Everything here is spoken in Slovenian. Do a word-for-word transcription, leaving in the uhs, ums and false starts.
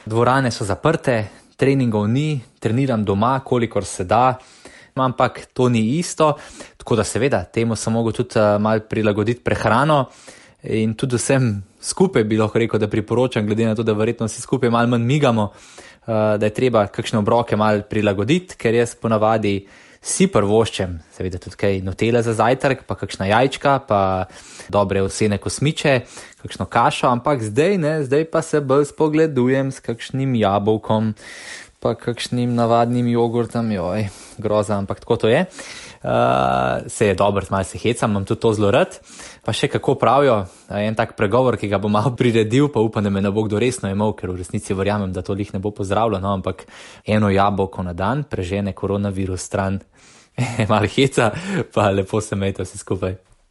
dvorane so zaprte, treningov ni, treniram doma, kolikor se da, ampak to ni isto, tako da seveda temu sem mogel tudi malo prilagoditi prehrano in tudi vsem skupaj bi lahko rekel, da priporočam, glede na to, da verjetno vsi skupaj malo manj migamo, da je treba kakšne obroke malo prilagoditi, ker jaz ponavadi si prvoščem, seveda tudi kaj nutele za zajtrk, pa kakšna jajčka, pa dobre ovsene kosmiče, kakšno kašo, ampak zdaj ne, zdaj pa se bolj spogledujem s kakšnim jabolkom, pa kakšnim navadnim jogurtom, joj, groza, ampak tako to je. Uh, se je dobro, malo se hecam, imam tudi to zelo rad. Pa še kako pravijo, en tak pregovor, ki ga bom malo priredil, pa upam, da me ne bo kdo resno imel, ker v resnici verjamem, da to lih ne bo pozdravljeno, no, ampak eno jabolko na dan prežene koronavirus stran. Malo heca, pa lepo se imejte vsi skupaj.